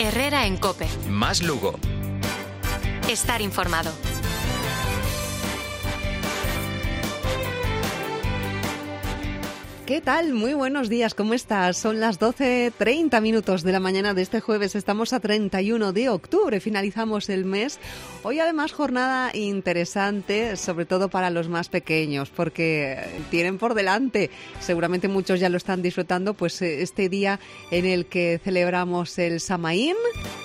Herrera en COPE. Más Lugo. Estar informado. ¿Qué tal? Muy buenos días, ¿cómo estás? Son las 12:30 minutos de la mañana de este jueves. Estamos a 31 de octubre, finalizamos el mes. Hoy además jornada interesante, sobre todo para los más pequeños, porque tienen por delante, seguramente muchos ya lo están disfrutando, pues este día en el que celebramos el Samaín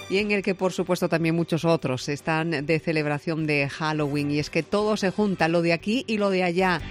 y en el que por supuesto también muchos otros están de celebración de Halloween. Y es que todo se junta, lo de aquí y lo de allá.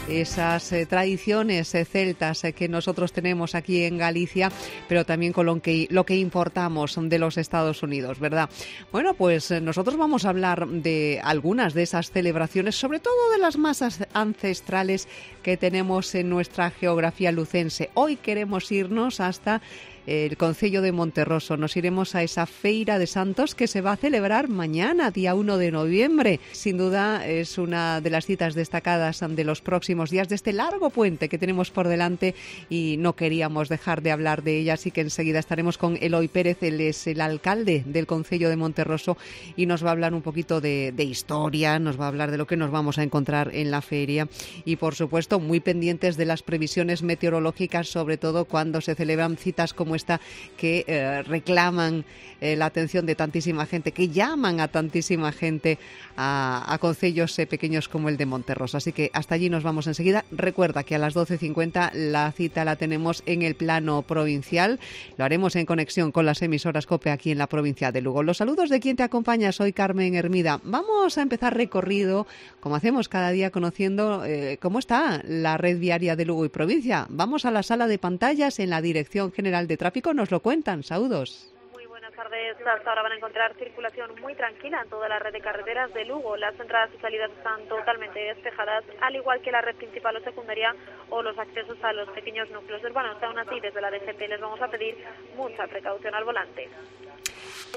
Esas tradiciones celtas que nosotros tenemos aquí en Galicia, pero también con lo que importamos de los Estados Unidos, ¿verdad? Bueno, pues nosotros vamos a hablar de algunas de esas celebraciones, sobre todo de las más ancestrales que tenemos en nuestra geografía lucense. Hoy queremos irnos hasta el concello de Monterroso. Nos iremos a esa Feira de Santos que se va a celebrar mañana, día 1 de noviembre. Sin duda es una de las citas destacadas de los próximos días de este largo puente que tenemos por delante y no queríamos dejar de hablar de ella, así que enseguida estaremos con Eloy Pérez. Él es el alcalde del concello de Monterroso y nos va a hablar un poquito de historia, nos va a hablar de lo que nos vamos a encontrar en la feria y por supuesto muy pendientes de las previsiones meteorológicas, sobre todo cuando se celebran citas como esta que reclaman la atención de tantísima gente, que llaman a tantísima gente a concellos pequeños como el de Monterroso. Así que hasta allí nos vamos enseguida. Recuerda que a las 12:50 la cita la tenemos en el plano provincial. Lo haremos en conexión con las emisoras COPE aquí en la provincia de Lugo. Los saludos de quien te acompaña, soy Carmen Hermida. Vamos a empezar recorrido, como hacemos cada día, conociendo cómo está la red viaria de Lugo y provincia. Vamos a la sala de pantallas en la Dirección General de Tráfico. Nos lo cuentan, saludos. Buenas tardes. Hasta ahora van a encontrar circulación muy tranquila en toda la red de carreteras de Lugo. Las entradas y salidas están totalmente despejadas, al igual que la red principal o secundaria o los accesos a los pequeños núcleos urbanos. Aún así, desde la DGT les vamos a pedir mucha precaución al volante.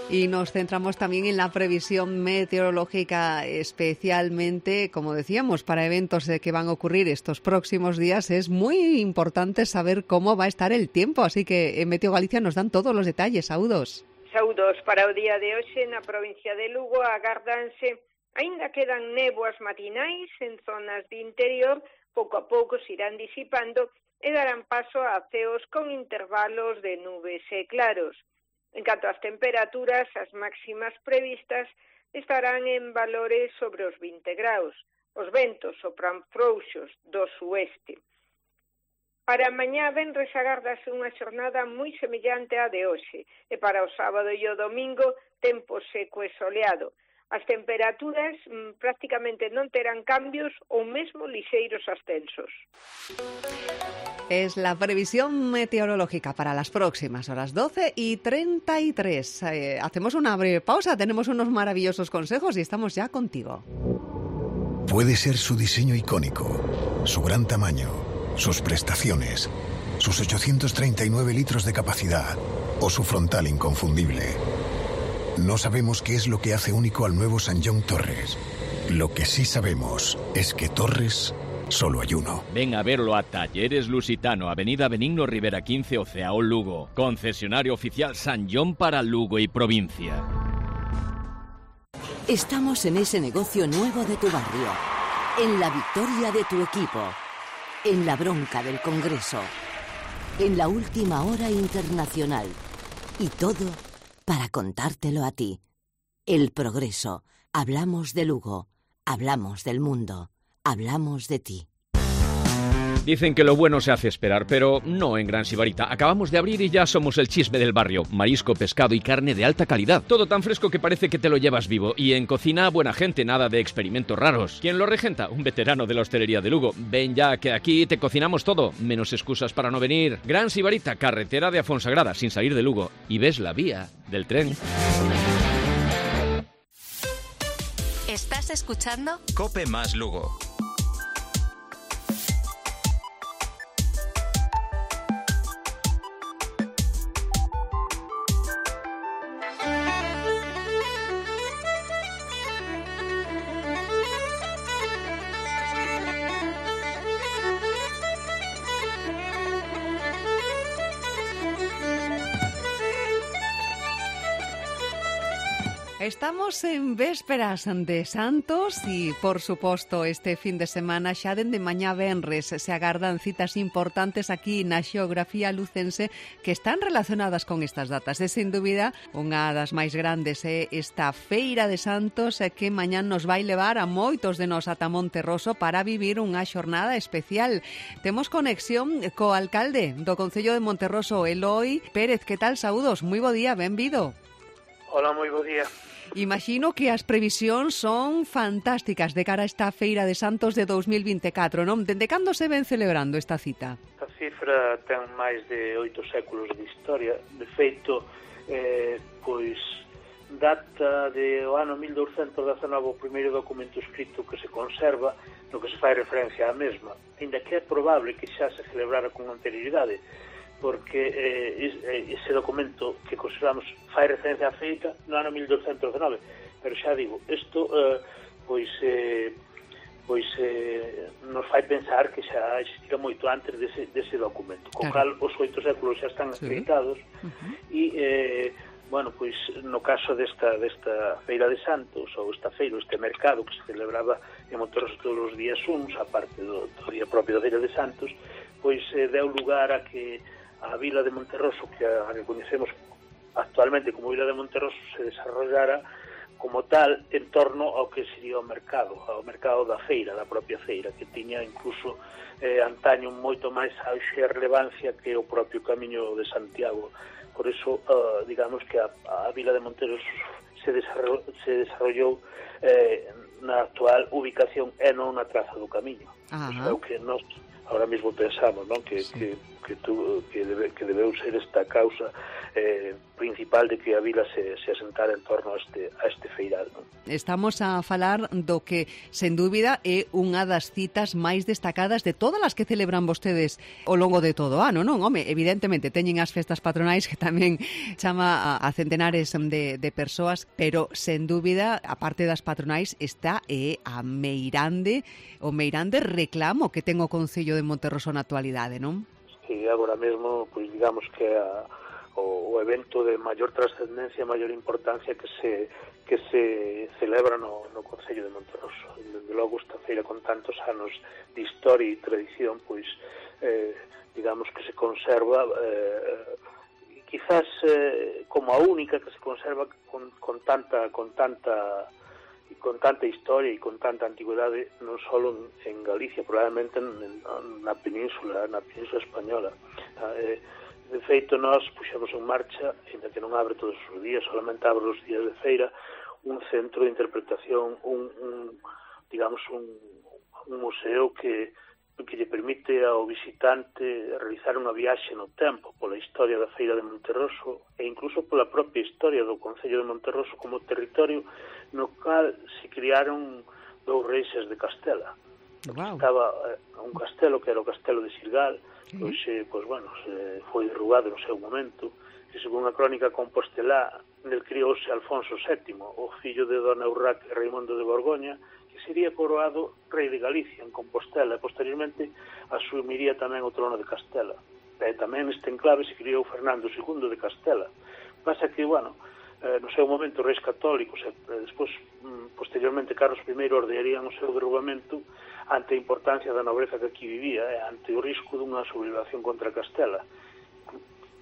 Y nos centramos también en la previsión meteorológica, especialmente, como decíamos, para eventos que van a ocurrir estos próximos días. Es muy importante saber cómo va a estar el tiempo, así que en Meteo Galicia nos dan todos los detalles. Saúdos. Saúdos para o día de hoxe na provincia de Lugo. Agárdanse, aínda quedan néboas matinais en zonas de interior, pouco a pouco se irán disipando e darán paso a ceos con intervalos de nubes e claros. En canto ás temperaturas, as máximas previstas estarán en valores sobre os 20 graus. Os ventos sopran frouxos do sueste. Para mañá venres agárdase unha xornada moi semellante á de hoxe e para o sábado e o domingo tempo seco e soleado. As temperaturas prácticamente non terán cambios ou mesmo lixeiros ascensos. Es la previsión meteorológica para las próximas horas, 12:33. Hacemos una breve pausa, tenemos unos maravillosos consejos y estamos ya contigo. Puede ser su diseño icónico, su gran tamaño, sus prestaciones, sus 839 litros de capacidad o su frontal inconfundible. No sabemos qué es lo que hace único al nuevo Sanyong Torres. Lo que sí sabemos es que Torres solo hay uno. Ven a verlo a Talleres Lusitano, Avenida Benigno Rivera 15, Oceao, Lugo. Concesionario oficial Sanyong para Lugo y provincia. Estamos en ese negocio nuevo de tu barrio, en la victoria de tu equipo, en la bronca del Congreso, en la última hora internacional. Y todo para contártelo a ti. El Progreso. Hablamos de Lugo, hablamos del mundo, hablamos de ti. Dicen que lo bueno se hace esperar, pero no en Gran Sibarita. Acabamos de abrir y ya somos el chisme del barrio. Marisco, pescado y carne de alta calidad. Todo tan fresco que parece que te lo llevas vivo. Y en cocina, buena gente, nada de experimentos raros. ¿Quién lo regenta? Un veterano de la hostelería de Lugo. Ven ya, que aquí te cocinamos todo, menos excusas para no venir. Gran Sibarita, carretera de Afonsagrada, sin salir de Lugo. Y ves la vía del tren. ¿Estás escuchando? COPE más Lugo. Estamos en vésperas de Santos e, por suposto, este fin de semana xa dende mañá venres se agardan citas importantes aquí na xeografía lucense que están relacionadas con estas datas. E, sin dúbida, unha das máis grandes é esta Feira de Santos que mañán nos vai levar a moitos de nós ata Monterroso para vivir unha xornada especial. Temos conexión co alcalde do Concello de Monterroso, Eloi Pérez. Que tal? Saúdos, moi bo día, benvido. Hola, moi bo día. Imagino que as previsións son fantásticas de cara a esta Feira de Santos de 2024, non? Dende cando se ven celebrando esta cita? A cifra ten máis de 8 séculos de historia. De feito, pois data do ano 1219 o primeiro documento escrito que se conserva no que se fai referencia á mesma, ainda que é probable que xa se celebrara con anterioridade, porque ese documento que consideramos fai referencia á feita no ano 1219, pero xa digo, isto nos fai pensar que xa existira moito antes dese documento, co cal os 8 séculos xa están acreditados. E bueno, pois no caso desta Feira de Santos, ou esta feira, este mercado que se celebraba en Monterroso todos os días uns, a parte do día propio da Feira de Santos, pois deu lugar a que a vila de Monterroso, que a reconhecemos actualmente como vila de Monterroso, se desarrollara como tal en torno ao que sería o mercado da feira, da propia feira, que tiña incluso antaño moito máis auxe e relevancia que o propio Camiño de Santiago. Por iso, digamos que a vila de Monterroso se desarrollou na actual ubicación e non na traza do Camiño. Iso é o que nós ahora mesmo pensamos, non? Que debeu ser esta causa principal de que a vila se asentara en torno a este feiral, non? Estamos a falar do que, sen dúbida, é unha das citas máis destacadas de todas as que celebran vostedes ao longo de todo o ano, non? Home, evidentemente, teñen as festas patronais que tamén chama a centenares de persoas, pero, sen dúbida, a parte das patronais está o meirande reclamo que ten o Concello de Monterroso na actualidade, non? Sí, agora mesmo, pois digamos que o evento de maior trascendencia, maior importancia que se celebra no Concello de Monterroso. Desde logo esta feira con tantos anos de historia e tradición, pois digamos que se conserva quizás como a única que se conserva con tanta historia e con tanta antigüedade, non só en Galicia, probablemente na península española. De feito, nós puxemos en marcha, ainda que non abre todos os días, solamente abre os días de feira, un centro de interpretación, un museo que lle permite ao visitante realizar unha viaxe no tempo pola historia da Feira de Monterroso e incluso pola propia historia do Concello de Monterroso como territorio no cal se criaron 2 reixes de Castela. Estaba un castelo que era o Castelo de Sirgal, que hoxe, foi derrubado no seu momento, que segundo a crónica compostelá, nel criouse Alfonso VII, o fillo de Dona Urraca e Raimundo de Borgoña, que sería coroado rei de Galicia en Compostela e posteriormente asumiría tamén o trono de Castela. E tamén neste enclave se criou Fernando II de Castela. Pasa que, no seu momento, reis católicos e despois, posteriormente, Carlos I ordenarían o seu derrubamento ante a importancia da nobreza que aquí vivía e ante o risco dunha sublevación contra Castela.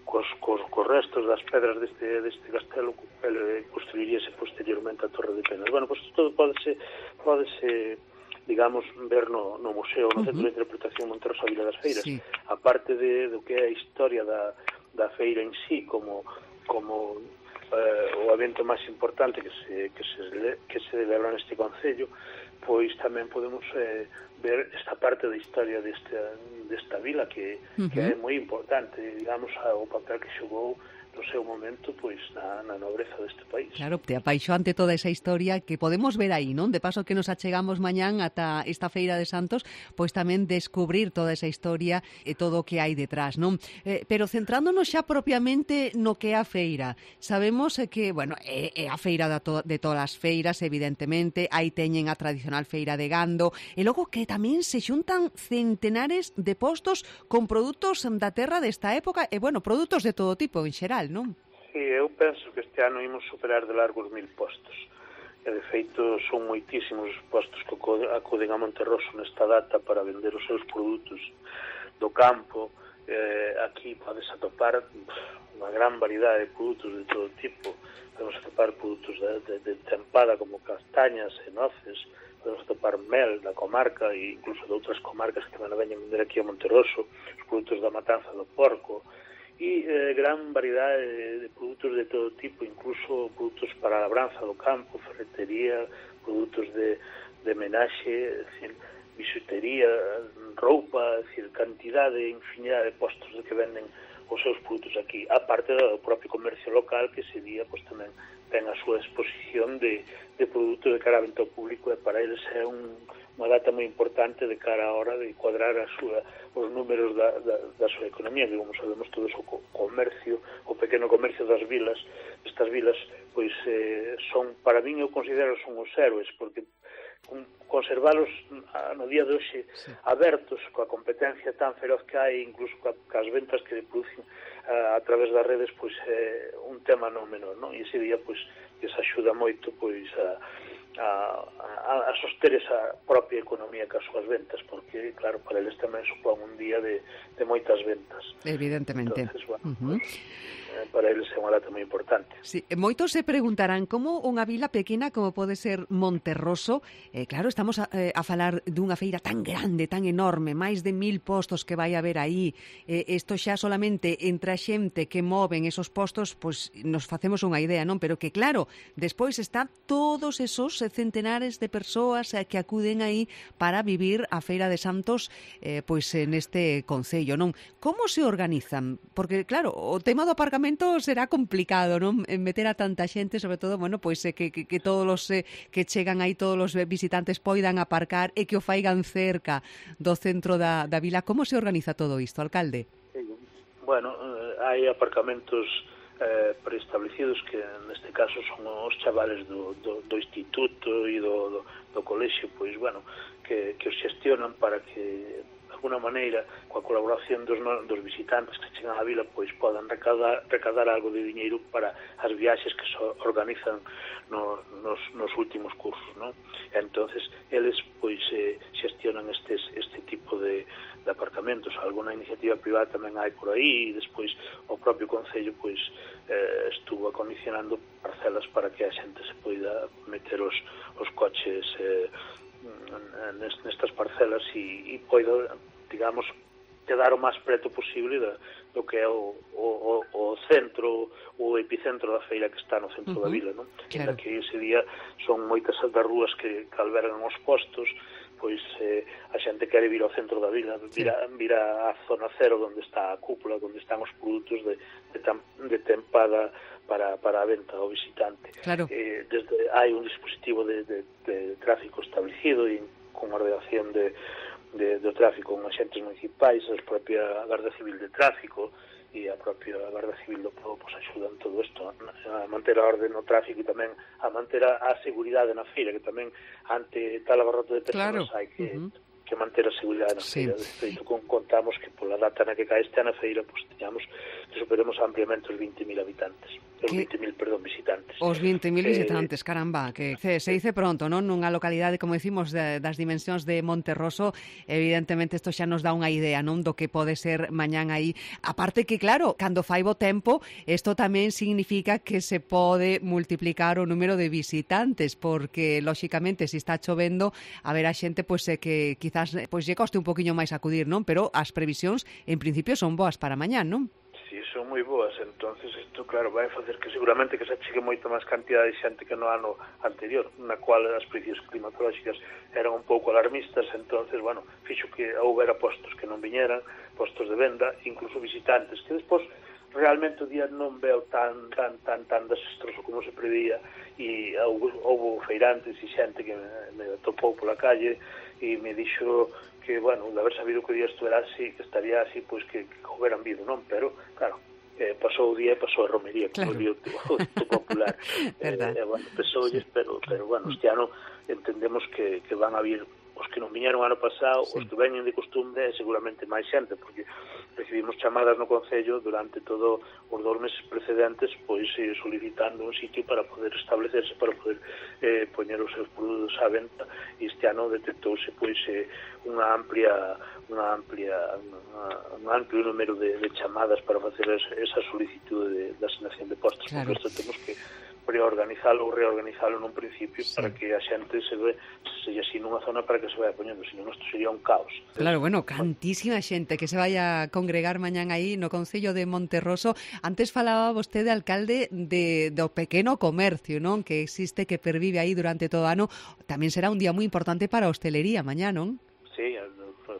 Cos restos das pedras deste castelo construiríase posteriormente a Torre de Penas. Pois todo pódese digamos, ver no museo, no Centro de Interpretación Monterroso a Vila das Feiras, a parte do que é a historia da feira en sí, como o evento máis importante que se celebra neste concello, pois tamén podemos ver esta parte da historia desta vila que é moi importante, digamos, o papel que xogou no seu momento, pois, na nobreza deste país. Claro, te apaixoante toda esa historia que podemos ver aí, non? De paso que nos achegamos mañán ata esta Feira de Santos, pois tamén descubrir toda esa historia e todo o que hai detrás, non? Pero centrándonos xa propiamente no que é a feira, sabemos que, é a feira de todas as feiras, evidentemente, aí teñen a tradicional feira de gando, e logo que tamén se xuntan centenares de postos con produtos da terra desta época, e, produtos de todo tipo, en xeral, non? que eu penso que este ano imos superar de largo os 1000 postos. E, de feito, son moitísimos os postos que acuden a Monterroso nesta data para vender os seus produtos do campo. Aquí podes atopar unha gran variedade de produtos de todo tipo. Podemos atopar produtos de tempada como castañas e noces, podemos atopar mel da comarca e incluso de outras comarcas que tamén veñen vender aquí a Monterroso, os produtos da matanza do porco, e gran variedade de produtos de todo tipo, incluso produtos para a labranza do campo, ferretería, produtos de menaxe, bisutería, roupa, cantidade, infinidade de postos de que venden os seus produtos aquí, a parte do propio comercio local, que ese día pues, tamén ten a súa exposición de produtos de cara a venta ao público, e para eles é unha data moi importante de cara a hora de cuadrar os números da súa economía, que como sabemos todos o comercio, o pequeno comercio das vilas, estas vilas, pois son, para min eu considero son os héroes, porque conservalos no día de hoxe abertos coa competencia tan feroz que hai, incluso coas ventas que producen a través das redes, pois é un tema non menor, non? E ese día pois que se axuda moito pois a soster esa propia economía cas súas ventas, porque claro, para eles tamén supón un día de moitas ventas. Evidentemente. Entonces, bueno, para eles é unha data moi importante. Sí, moitos se preguntarán como unha vila pequena como pode ser Monterroso, claro, estamos a falar dunha feira tan grande, tan enorme, máis de 1000 postos que vai haber aí, isto xa solamente entre a xente que moven esos postos, pois nos facemos unha idea, non? Pero que claro, despois está todos esos centenares de persoas que acuden aí para vivir a Feira de Santos pois neste concello, non? Como se organizan? Porque claro, o tema do aparcamento será complicado, non? Meter a tanta xente, sobre todo, bueno, pois que todos os que chegan aí, todos os visitantes poidan aparcar e que o faigan cerca do centro da vila. Como se organiza todo isto, alcalde? Bueno, hai aparcamentos preestablecidos que neste caso son os chavales do instituto e do colexio, pois, bueno, que os xestionan para que de alguna maneira, coa colaboración dos visitantes que chegan á vila, pois podan recadar algo de diñeiro para as viaxes que se organizan nos últimos cursos, non? Entonces, eles pois xestionan este tipo de aparcamentos. Alguna iniciativa privada tamén hai por aí, e despois o propio concello pois estuvo acondicionando parcelas para que a xente se poida meter os coches nestas parcelas e poida, digamos, quedar o máis preto posible do que é o centro, o epicentro da feira que está no centro da vila, non? Claro. Que ese día son moitas das rúas que albergan os postos, pois a xente quere vir ao centro da vila, vir a zona cero onde está a cúpula, onde están os produtos de tempada para a venta ao visitante. Claro. Hai un dispositivo de tráfico establecido e con ordenación do tráfico con agentes municipais, a propia Garda Civil de Tráfico e a propia Garda Civil do Pobo pues, axudan todo isto a manter a orde no tráfico e tamén a manter a seguridade na feira, que tamén ante tal abarroto de persoas hai que manter a seguridade na feira. De feito, contamos que pola data na que cae este ano a feira, pues, teñamos que superemos ampliamente os 20.000 habitantes. Os 20.000, perdón, visitantes. Os 20.000 visitantes, caramba, que se dice pronto, non? Nunha localidade, como decimos, das dimensións de Monterroso, evidentemente isto xa nos dá unha idea, non? Do que pode ser mañán aí. Aparte que, claro, cando fai bo tempo, isto tamén significa que se pode multiplicar o número de visitantes, porque, lóxicamente, se está chovendo, a ver a xente, pois, que quizás pois lle coste un poquinho máis acudir, non? Pero as previsións, en principio, son boas para mañán, non? Sí, son moi boas, entonces isto, claro, vai facer que seguramente que se achegue moito máis cantidad de xente que no ano anterior, na cual as prediccións climatolóxicas eran un pouco alarmistas, entonces, bueno, fixo que houbera postos que non viñeran, postos de venda, incluso visitantes, que despois realmente o día non veo tan desastroso como se preveía, e houve feirantes e xente que me topou pola calle e me dixo que, bueno, de haber sabido que o día estuera así, que estaría así, pois que houberan vido, non? Pero, claro, pasou o día e pasou a romería, como claro. O popular. Bueno, pesoulles, pero bueno, este ano entendemos que van a vir os que non viñeron ano pasado, os que veñen de costumbre, seguramente máis xente, porque recibimos chamadas no Concello durante todo os 2 meses precedentes, pois solicitando un sitio para poder establecerse, para poder poñer os seus produtos á venta. Este ano detectouse pois un amplio número de chamadas para facer esa solicitude de asignación de postos. Claro. Porque isto temos que reorganizalo nun principio para que a xente se así nunha zona para que se vaya poñendo, senón isto sería un caos. Claro, bueno, cantísima xente que se vaya a congregar mañán aí no Concello de Monterroso. Antes falaba vostede, alcalde, do pequeno comercio, non? Que existe, que pervive aí durante todo o ano. Tamén será un día moi importante para a hostelería mañá, non? Sí,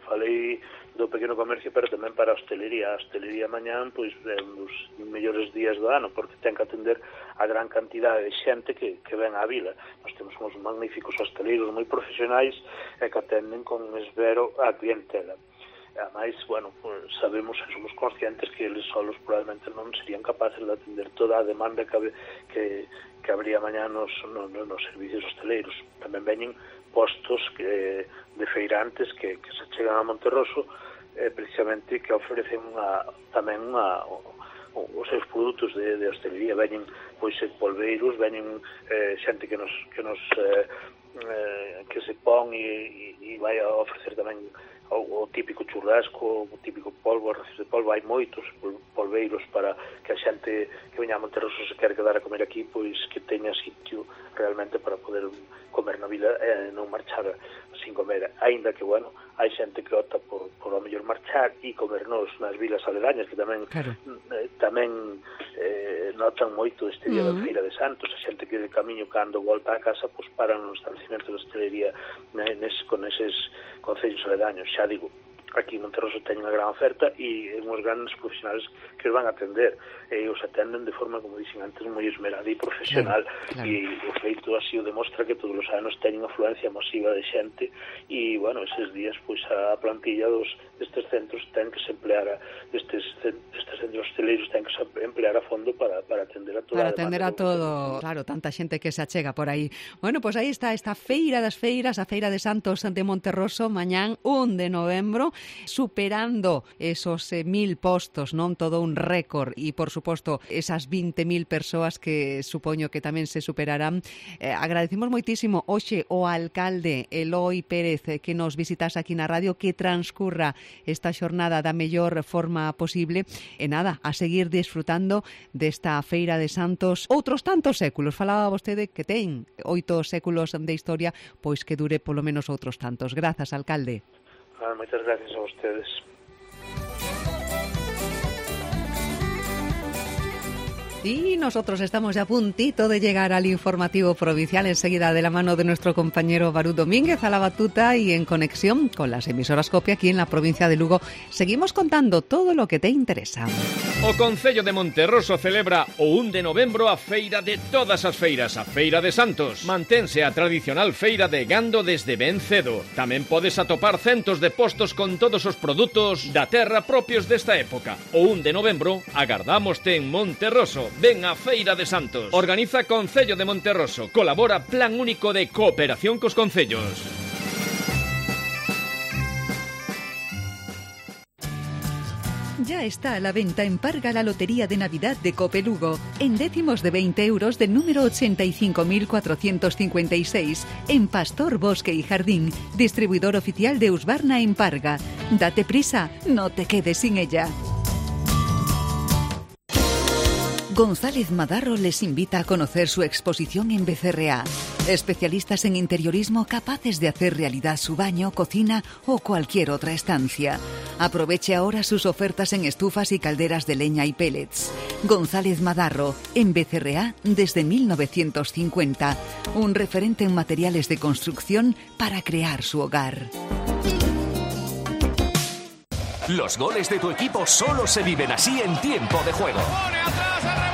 falei do pequeno comercio, pero tamén para a hostelería. A hostelería mañán, pois, é un dos mellores días do ano, porque ten que atender a gran cantidade de xente que ven á vila. Nós temos uns magníficos hosteleiros moi profesionais e que atenden con esmero a clientela. Ademais, bueno, pues, sabemos e somos conscientes que eles solos probablemente non serían capaces de atender toda a demanda que habría mañá nos servicios hosteleiros. Tamén veñen postos de feirantes que se chegan a Monterroso precisamente que ofrecen tamén os seus produtos de hostelería. Veñen pois polveiros, veñen xente que se pon e vai a ofrecer tamén o típico churrasco, o típico polvo, arroces de polvo. Hai moitos polveiros para que a xente que veña a Monterroso se quere quedar a comer aquí, pois que teña sitio realmente para poder comer na vila e non marchar sin comer. Aínda que, bueno, hai xente que opta por ao mellor marchar e comernos nas vilas aledañas, que tamén notan moito este día da Feira de Santos. A xente que de camiño cando volta a casa, pois paran no establecimento de hostelería con eses concellos aledaños. Xa digo, aquí en Monterroso teñen unha gran oferta e uns grandes profesionales que os van a atender, e os atenden de forma, como dixen antes, moi esmerada e profesional. E o feito así o demostra que todos os anos teñen afluencia masiva de xente e, bueno, eses días, pois a plantilla destes centros ten que se emplear destes centros hosteleiros ten que se emplear a fondo para atender a toda para atender a todo, claro, tanta xente que se achega por aí. Bueno, pois aí está esta Feira das Feiras, a Feira de Santos de Monterroso, mañán 1 de novembro, superando esos 1.000 postos, non? Todo un récord e, por suposto, esas 20.000 persoas que supoño que tamén se superarán. Agradecemos moitísimo hoxe o alcalde Eloi Pérez que nos visitas aquí na radio, que transcurra esta xornada da mellor forma posible e nada, a seguir disfrutando desta Feira de Santos outros tantos séculos. Falaba vostede que ten 8 séculos de historia, pois que dure polo menos outros tantos. Grazas, alcalde. Moitas gracias a ustedes. Y nosotros estamos ya a puntito de llegar al informativo provincial, enseguida de la mano de nuestro compañero Barú Domínguez a la batuta y en conexión con las emisoras COPE aquí en la provincia de Lugo. Seguimos contando todo lo que te interesa. O Concello de Monterroso celebra o 1 de novembro a feira de todas as feiras, a Feira de Santos. Mantense a tradicional feira de gando desde ben cedo. Tamén podes atopar centos de postos con todos os produtos da terra propios desta época. O 1 de novembro agardámoste en Monterroso. Ven a Feira de Santos. Organiza Concello de Monterroso. Colabora Plan Único de Cooperación cos Concellos. Ya está a la venta en Parga la Lotería de Navidad de Cope Lugo, en décimos de 20 euros del número 85.456, en Pastor, Bosque y Jardín, distribuidor oficial de Husqvarna en Parga. Date prisa, no te quedes sin ella. González Madarro les invita a conocer su exposición en Becerreá. Especialistas en interiorismo capaces de hacer realidad su baño, cocina o cualquier otra estancia. Aproveche ahora sus ofertas en estufas y calderas de leña y pellets. González Madarro, en Becerreá desde 1950. Un referente en materiales de construcción para crear su hogar. Los goles de tu equipo solo se viven así en tiempo de juego. ¡Pone atrás!